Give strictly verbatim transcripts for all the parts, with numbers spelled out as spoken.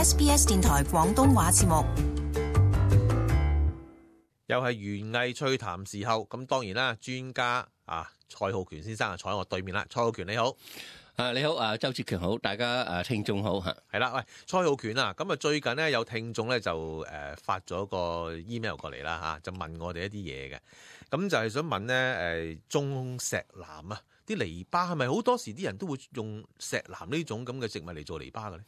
S B S 電台廣東話節目。又係園藝趣談時候，咁當然啦，專家啊蔡浩權先生啊坐喺我對面啦。蔡浩權你好。啊，你好，啊，周志強好，大家誒聽眾好嚇。係啦，喂，蔡浩權啊，咁啊最近咧有聽眾咧就誒發咗個 email 過嚟啦嚇，就問我哋一啲嘢嘅，咁就係想問咧誒種石楠啊，啲籬笆係咪好多時啲人都會用石楠呢種咁嘅植物嚟做籬笆嘅咧？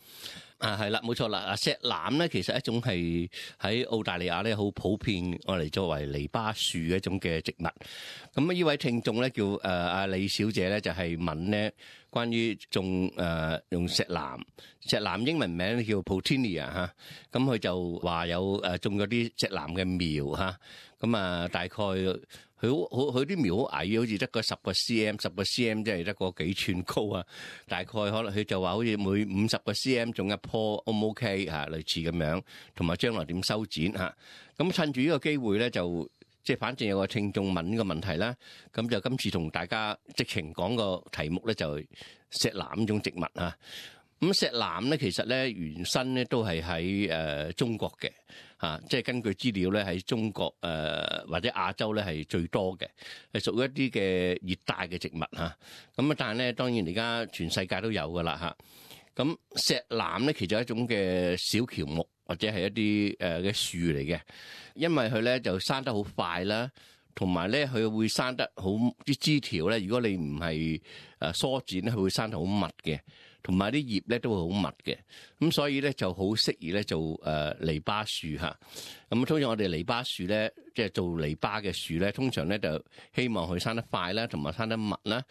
啊，係啦，冇錯啦。啊，石楠咧其實一種係喺澳大利亞咧好普遍，我嚟作為籬笆樹嘅一種嘅植物。咁啊，呢位聽眾咧叫誒阿李小姐咧就係問咧關於種誒、呃、用石楠，石楠英文名叫 Potinia 嚇，咁佢就話有誒種咗啲石楠嘅苗嚇，咁啊大概佢好好佢啲苗好矮，好似得個十個 cm， 十個 cm 即係得個幾寸高啊，大概可能佢就話好似每五十個 cm 種一棵 O 唔 OK 嚇，類似咁樣，同埋將來點修剪嚇，咁趁住呢個機會咧就。即係反正有個聽眾問呢個問題啦，咁就今次同大家直情講個題目咧就係石楠呢種植物啊。咁石楠咧其實咧原生咧都係喺誒中國嘅嚇，即係根據資料咧喺中國誒、呃、或者亞洲咧係最多嘅，係屬於一啲嘅熱帶嘅植物嚇。咁啊，但係咧當然而家全世界都有噶啦嚇。咁石楠咧其實係一種嘅小喬木。或者係一啲誒嘅樹嚟嘅，因為佢咧就生得好快啦，同埋咧佢會生得好啲枝條咧。如果你唔係誒梳剪咧，佢會生得好密嘅，同埋啲葉咧都會好密嘅。咁所以咧就好適宜咧做誒籬笆樹嚇。咁通常我哋籬笆樹咧，即係做籬笆嘅樹咧，通常咧就希望佢生得快啦，同埋生得密啦。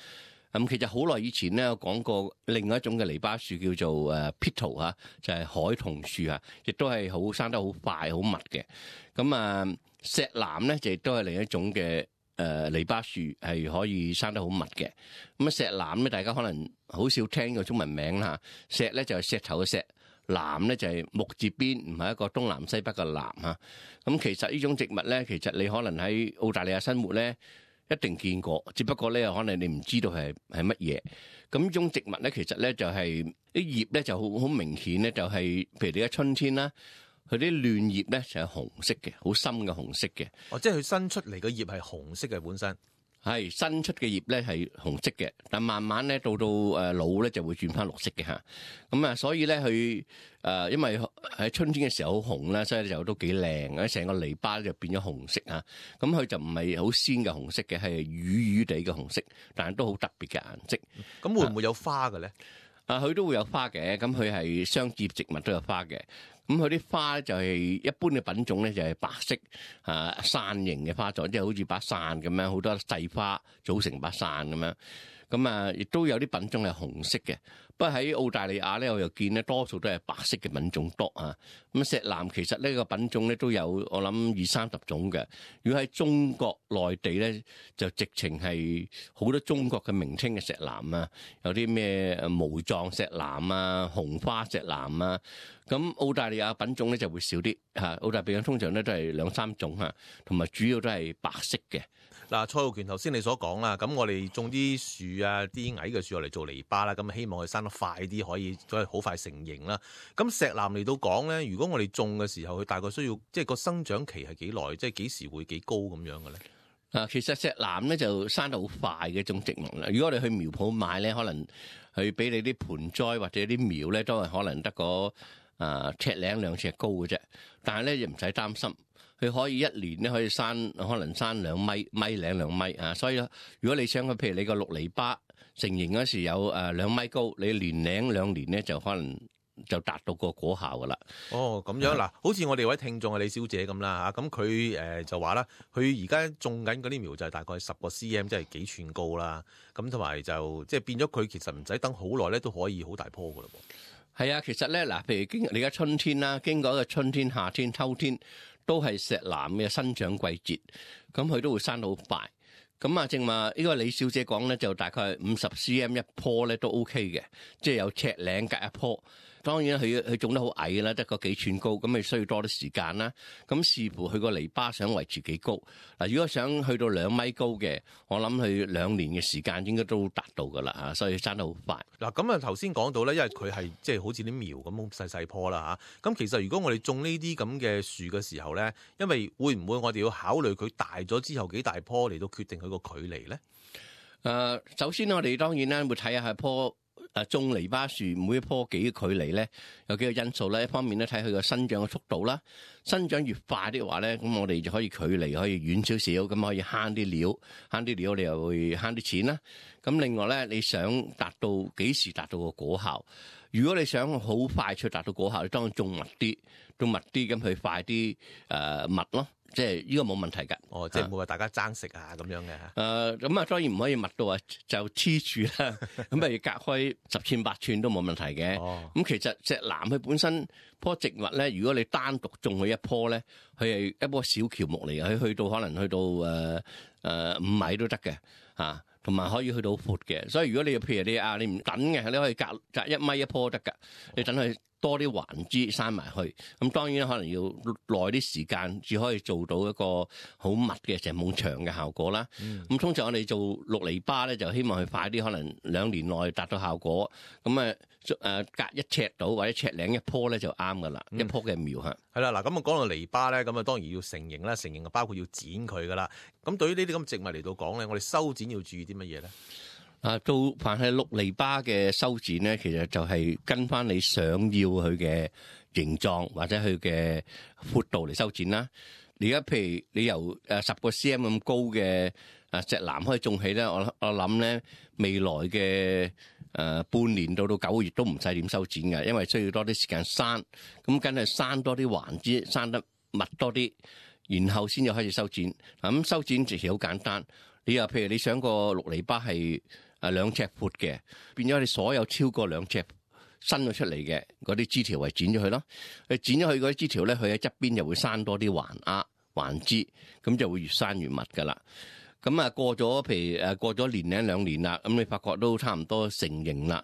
咁其實好耐以前咧，我講過另外一種嘅籬笆樹叫做誒 Petal 嚇，就係海桐樹啊，亦都係好生得好快、好密嘅。咁啊，石楠咧就亦都係另一種嘅誒籬笆樹，係可以生得好密嘅。咁啊，石楠咧，大家可能好少聽個中文名啦。石咧就係石頭嘅石，楠咧就係木字邊，唔係一個東南西北嘅南嚇。咁其實呢種植物咧，其實你可能喺澳大利亞生活咧，一定見過，只不過咧可能你唔知道係係乜嘢。咁呢種植物咧，其實咧就係啲葉咧就好好明顯咧，就係譬如你而家春天啦，佢啲嫩葉咧就係紅色嘅，好深嘅紅色嘅。哦，即係佢新出嚟嘅葉係紅色嘅本身。係新出嘅葉咧係紅色嘅，但慢慢咧到到誒老咧就會轉翻綠色嘅嚇。咁啊，所以咧佢誒因為喺春天嘅時候好紅啦，所以就都幾靚，成個籬笆就變咗紅色啊。咁佢就唔係好鮮嘅紅色嘅，係瘀瘀地嘅紅色，但係都好特別嘅顏色。咁會唔會有花嘅咧？啊，佢都會有花嘅，咁佢係雙葉植物都有花嘅。咁佢啲花就係一般嘅品種咧，就係白色啊傘形嘅花座，即係好似把傘咁樣，好多細花組成把傘咁樣。咁啊，亦都有啲品種係紅色嘅。不過喺澳大利亞咧，我又見咧多數都係白色嘅品種多啊。咁石楠其實呢個品種咧都有我諗二三十種嘅。如果喺中國內地咧，就直情係好多中國嘅名稱嘅石楠啊，有啲咩毛狀石楠啊、紅花石楠啊。咁澳大利亞品種咧就會少啲嚇。澳大利亞通常咧都係兩三種嚇，同埋主要都係白色嘅。嗱，蔡浩權頭先你所講啦，咁我哋種啲樹啊，啲矮嘅樹落嚟做籬笆啦，咁希望佢生得快啲，可以都係好快成形啦。咁石楠嚟到講咧，如果我哋種嘅時候，佢大概需要即係個生長期係幾耐，即係幾時會幾高咁樣嘅咧？啊，其實石楠咧就生得好快嘅一種植物啦。如果我哋去苗圃買咧，可能佢俾你啲盆栽或者啲苗咧，都係可能得個啊尺零兩尺高嘅啫。但係咧又唔使擔心。佢可以一年咧可以生，可能生兩米米零兩米啊！所以如果你想佢，譬如你個綠籬笆成形嗰時有誒兩米高，你年零兩年咧就可能就達到個果效噶啦。哦，咁樣嗱，好似我哋位聽眾啊李小姐咁啦嚇，咁佢誒就話啦，佢而家種緊嗰啲苗就係大概十個 cm，即係幾寸高啦。咁同埋就即係變咗佢其實唔使等好耐咧，都可以好大棵噶啦噃。係啊，其實咧嗱，譬如經你而家春天啦，經過一個春天、夏天、秋天，都係石楠嘅生長季節，咁佢都會生到好快。咁啊，正話呢個李小姐講咧，就大概五十 cm 一棵咧都 OK 嘅，即係有尺零隔一棵。當然佢佢種得好矮啦，得個幾寸高，咁咪需要多啲時間啦。咁視乎佢個籬笆想維持幾高。嗱，如果想去到兩米高嘅，我諗佢兩年嘅時間應該都達到噶啦嚇，所以生得好快。嗱，咁啊頭先講到咧，因為佢係即係好似啲苗咁細細棵啦嚇。咁其實如果我哋種呢啲咁嘅樹嘅時候咧，因為會唔會我哋要考慮佢大咗之後幾大棵嚟到決定佢個距離咧？誒、呃，首先我哋當然咧會睇下係棵誒種籬笆樹每一棵幾嘅距離咧，有幾個因素咧。一方面咧睇佢個生長嘅速度啦，生長越快的話咧，咁我哋就可以距離可以遠少少，咁可以慳啲料，慳啲料你又會慳啲錢啦。咁另外咧，你想達到幾時達到個果效？如果你想好快脆達到果效，你當然種密啲，種密啲咁佢快啲誒密咯。即係呢個冇問題㗎。哦，即係唔會話大家爭食啊咁樣嘅。誒咁啊，當然唔可以密到啊就黐住啦。咁譬如隔開十寸八寸都冇問題嘅。哦。咁其實石楠佢本身棵植物咧，如果你單獨種佢一棵咧，佢係一棵小喬木嚟嘅，佢去到可能去到誒誒五米都得嘅嚇，同埋可以去到闊嘅。所以如果你譬如你啊，你唔等嘅，你可以隔隔一米一棵得㗎。你等佢多啲環枝生埋去，咁當然可能要耐啲時間，至可以做到一個好密嘅成埲牆嘅效果啦。咁、嗯、通常我哋做綠籬笆咧，就希望佢快啲，可能兩年內達到效果。咁啊誒隔一尺到或者尺零一棵咧就啱噶啦，一棵嘅苗嚇。係啦，嗱咁啊講到籬笆咧，咁啊當然要成形啦，成形啊包括要剪佢噶啦。咁對於呢啲咁植物嚟到講咧，我哋修剪要注意啲乜嘢咧？啊，到凡係綠籬笆嘅修剪咧，其實就係跟翻你想要佢嘅形狀或者佢嘅闊度嚟修剪啦。而家譬如你由誒十個 cm 咁高嘅誒石楠可以種起咧，我我諗咧未來嘅誒半年到到九個月都唔使點修剪嘅，因為需要多啲時間生，咁梗係生多啲環枝，生得密多啲，然後先至開始修剪。嗱咁修剪其實好簡單，你又譬如你想個綠籬笆係誒兩尺闊嘅，變咗你所有超過兩尺伸咗出嚟嘅嗰啲枝條，為剪咗佢咯。你剪咗佢嗰啲枝條咧，佢喺側邊就會生多啲環芽環枝，咁就會越生越密噶啦。咁啊過咗譬如誒過咗年零兩年啦，咁你發覺都差唔多成形啦，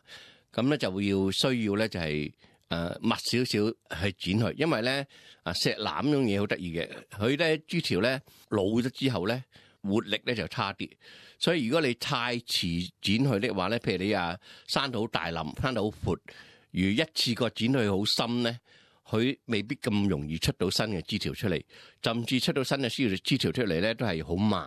咁咧就會要需要咧就係誒密少少去剪佢，因為咧啊石楠呢種嘢好得意嘅，佢咧枝條咧老咗之後咧活力咧就差啲。所以如果你太遲剪佢的話咧，譬如你啊生到好大林，生到好闊，如一次過剪佢好深咧，佢未必咁容易出到新嘅枝條出嚟，甚至出到新嘅枝條枝條出嚟咧都係好慢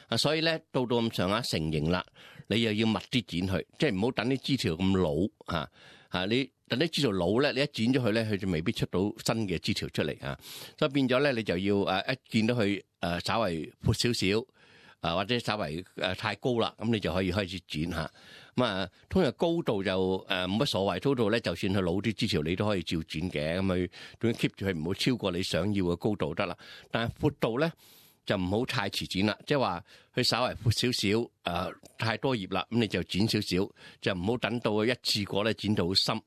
啊。所以咧到到咁上下成形啦，你又要密啲剪佢，即係唔好等啲枝條咁老嚇嚇。你等啲枝條老咧，你一剪咗佢咧，佢就未必出到新嘅枝條出嚟啊。所以變咗咧，你就要誒一見到佢誒稍為闊少少。啊，或者稍微誒太高啦，咁你就可以開始剪下。咁啊，通常高度就誒冇乜所謂，高度咧就算佢老啲枝條，你都可以照剪嘅。咁佢總之 keep 住佢唔好超過你想要嘅高度得啦。但係闊度咧就唔好太遲剪啦，即係話佢稍微闊少少，誒太多葉啦，咁你就剪少少，就唔好等到佢一次過咧剪到好深。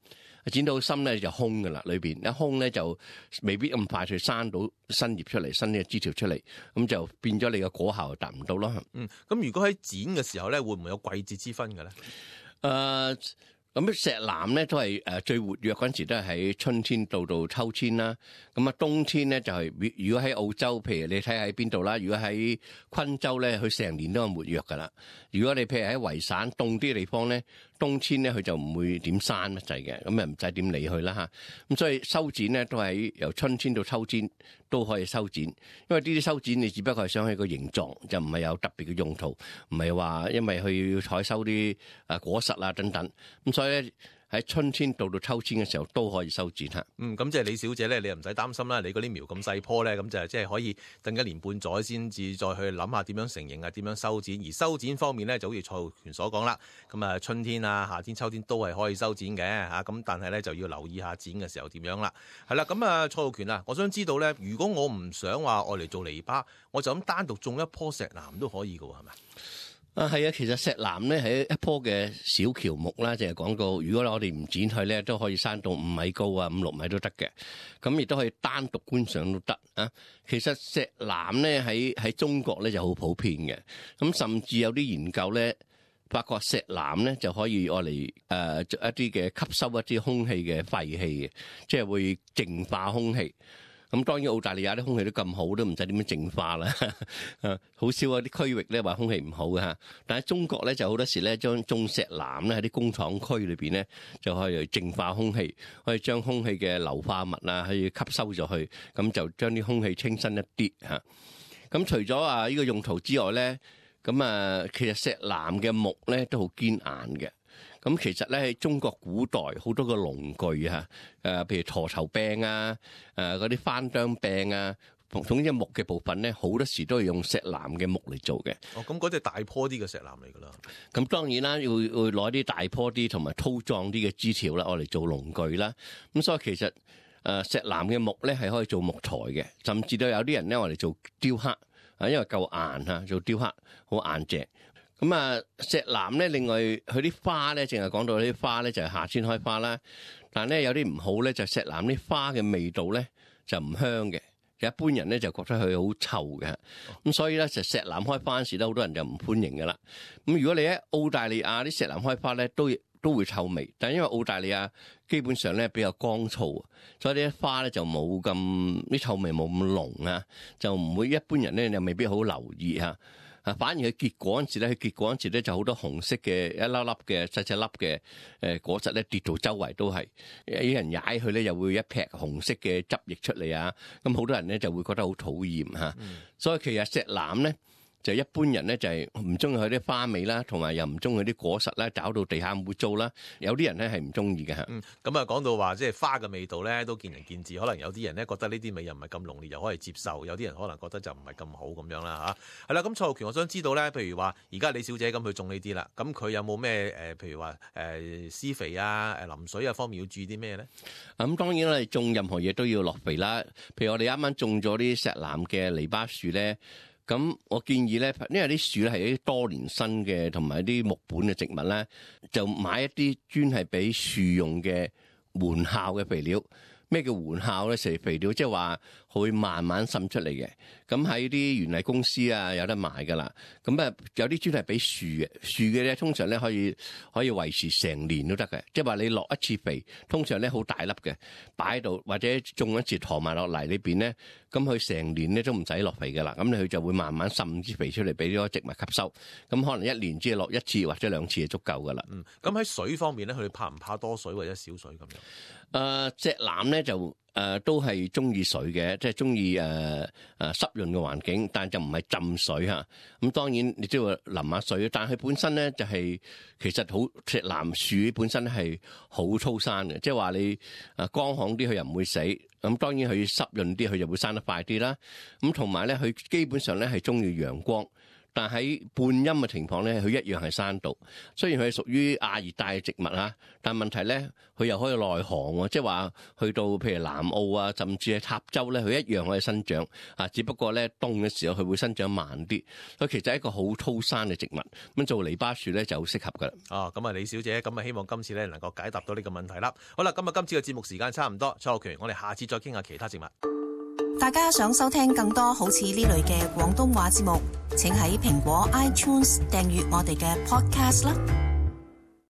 剪到深咧就空㗎啦，裏邊一空咧就未必咁快去生到新葉出嚟，新嘅枝條出嚟，咁就變咗你嘅果效就達唔到咯。嗯，咁如果喺剪嘅時候咧，會唔會有季節之分嘅咧？誒、呃，咁石楠咧都係誒最活躍嗰陣時都係喺春天到到秋天啦。咁啊冬天咧就係、是、如果喺澳洲，譬如你睇喺邊度啦，如果喺昆州咧，佢成年都係活躍㗎啦。如果你譬如喺維省凍啲地方咧，冬天咧佢就唔會點生乜滯嘅，咁啊唔使點理佢啦嚇。咁所以修剪咧都係由春天到秋天都可以修剪，因為呢啲修剪你只不過係想佢個形狀，就唔係有特別嘅用途，唔係話因為佢要採收啲誒果實啊等等。咁所以咧喺春天到到秋天嘅時候都可以修剪嚇。嗯，咁即係李小姐咧，你又唔使擔心啦。你嗰啲苗咁細棵咧，咁就係即係可以等一年半載先至再去諗下點樣成形啊，點樣修剪。而修剪方面咧，就好似蔡浩權所講啦，咁啊春天啊、夏天、秋天都係可以修剪嘅嚇。咁但係咧就要留意下剪嘅時候點樣啦。係啦，咁啊蔡浩權啊，我想知道咧，如果我唔想話愛嚟做籬笆，我就咁單獨種一棵石楠都可以㗎喎，係咪？啊，係啊，其實石楠咧係一棵嘅小喬木啦，就係講到，如果我哋唔剪佢咧，都可以生到五米高啊，五六米都得嘅。咁亦都可以單獨觀賞都得啊。其實石楠咧喺喺中國咧就好普遍嘅，咁甚至有啲研究咧發覺石楠咧就可以愛嚟誒做一啲嘅吸收一啲空氣嘅廢氣嘅，即係會淨化空氣。咁當然澳大利亞啲空氣都咁好，都唔使點樣淨化啦。誒，好少有啲區域咧話空氣唔好嘅嚇。但係中國咧就好多時咧將種石楠咧喺啲工廠區裏邊咧就可以淨化空氣，可以將空氣嘅硫化物啊可以吸收咗去，咁就將啲空氣清新一啲嚇。咁除咗啊呢個用途之外咧，咁啊其實石楠嘅木咧都好堅硬嘅。咁其實咧喺中國古代好多個農具啊，誒譬如駝頭柄啊，誒嗰啲翻張柄啊，總之木嘅部分咧，好多時都係用石楠嘅木嚟做嘅。哦，咁嗰隻大棵啲嘅石楠嚟㗎啦。咁當然啦，要要攞啲大棵啲同埋粗壯啲嘅枝條啦，我嚟做農具啦。咁所以其實誒石楠嘅木咧係可以做木材嘅，甚至都有啲人咧我嚟做雕刻啊，因為夠硬啊，做雕刻好硬淨。咁啊，石楠咧，另外佢啲花咧，淨係講到啲花咧就係夏天開花啦。但係咧有啲唔好咧，就石楠啲花嘅味道咧就唔香嘅，一般人咧就覺得佢好臭嘅。咁所以咧就石楠開花嗰時咧，好多人就唔歡迎噶啦。咁如果你喺澳大利亞啲石楠開花咧，都都會臭味，但係因為澳大利亞基本上咧比較乾燥，所以啲花咧就冇咁啲臭味冇咁濃啊，就唔會一般人咧又未必好留意嚇。啊，反而佢結果嗰陣時咧，佢結果嗰陣時咧就好多紅色嘅一粒粒嘅細細粒嘅誒果實咧跌到周圍都係，有人踩佢咧又會一劈紅色嘅汁液出嚟啊！咁好多人咧就會覺得好討厭嚇，嗯、所以其實石楠咧就一般人咧就係唔中意佢啲花味啦，同埋又唔中意佢啲果實啦，搞到地下污糟啦。有啲人咧係唔中意嘅嚇。嗯，咁啊講到話即係花嘅味道咧，都見仁見智。可能有啲人咧覺得呢啲味又唔係咁濃烈，又可以接受；有啲人可能覺得就唔係咁好咁樣啦嚇。係啦，咁蔡浩權，我想知道咧，譬如話而家李小姐咁去種呢啲啦，咁佢有冇咩誒？譬如話誒施肥啊、誒淋水啊方面要注意啲咩咧？咁當然我哋種任何嘢都要落肥啦。譬如我哋啱啱種咗啲石楠嘅籬笆樹咧。咁我建議咧，因為啲樹咧係一啲多年生嘅，同埋啲木本嘅植物咧，就買一啲專係俾樹用嘅緩效嘅肥料。咩叫緩效咧？食肥料即係話會慢慢滲出嚟嘅。咁喺啲園藝公司啊有得賣噶啦。咁啊有啲專係俾樹嘅，樹嘅咧通常咧可以可以維持成年都得嘅。即係話你落一次肥，通常咧好大粒嘅，擺喺度或者種一次陀埋落嚟呢邊咧，咁佢成年咧都唔使落肥噶啦。咁佢就會慢慢滲啲肥出嚟俾啲植物吸收。咁可能一年只係落一次或者兩次就足夠噶啦。嗯，咁喺水方面咧，佢哋怕唔怕多水或者少水咁樣？誒、呃、石楠咧就誒、呃、都係中意水嘅，即係中意誒誒濕潤嘅環境，但就唔係浸水嚇。咁當然你都要淋下水，但係佢本身咧就係、是、其實好石楠樹本身係好粗生嘅，即係話你誒乾旱啲佢又唔會死。咁當然佢濕潤啲佢就會生得快啲啦。咁同埋咧佢基本上咧係中意陽光。但喺半陰嘅情況咧，佢一樣係生到。雖然佢係屬於亞熱帶嘅植物啦，但問題咧，佢又可以耐寒喎，即係話去到譬如南澳啊，甚至係塔州咧，佢一樣可以生長。啊，只不過咧凍嘅時候佢會生長慢啲。佢其實係一個好粗生嘅植物，咁做籬笆樹咧就好適合噶啦。哦，咁啊，李小姐，咁啊，希望今次咧能夠解答到呢個問題啦。好啦，今日今次嘅節目時間差唔多，蔡浩權，我哋下次再傾下其他植物。大家想收聽更多好似呢類嘅廣東話節目，請喺蘋果 iTunes 訂閱我哋嘅 Podcast 啦。